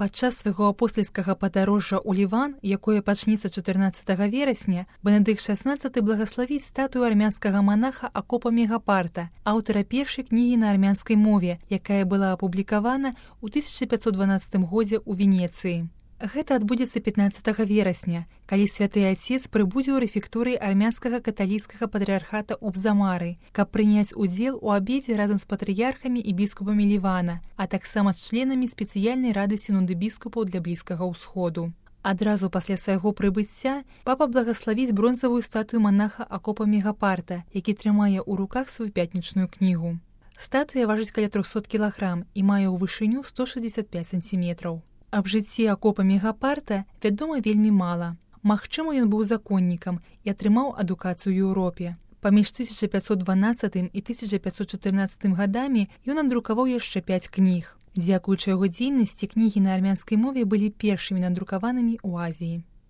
Падчас свайго апостальскага падарожжа ў Ліван, якое пачнецца 14 верасня, Бенедыкт XVI благаславіць статую армянскага манаха Акопа Мегапарта, аўтара першай кнігі на армянскай мове, якая была апублікавана ў 1512 годзе ў Венецыі. Гэта адбудзецца 15 верасня, калі святы Ацец прыбудзе ў рэфекторыі армянскага каталіцкага патрыархата ў Бзамары, каб прыняць удзел у абедзе разам з патрыярхамі і біскупамі Лівана, а таксама з членамі спецыяльнай рады сінуды біскупаў для Блізкага ўсходу. Адразу пасля свайго прыбыцця папа благаславіць бронзавую статую манаха Акопа Мегапарта, які трымае ў руках сваю пятнічную кнігу. Статуя важыць каля 300 кілаграм і мае ў вышыню 165 сантиметраў. Аб жыцці Акопа Мегапарта вядома вельмі мала. Магчыма, ён быў законнікам і атрымаў адукацыю ў Еўропе. Паміж 1512 і 1514 гадамі ён надрукаваў яшчэ 5 кніг. Дзякуючы яго дзейнасці, кнігі на армянскай мове былі першымі надрукаванымі ў Азіі.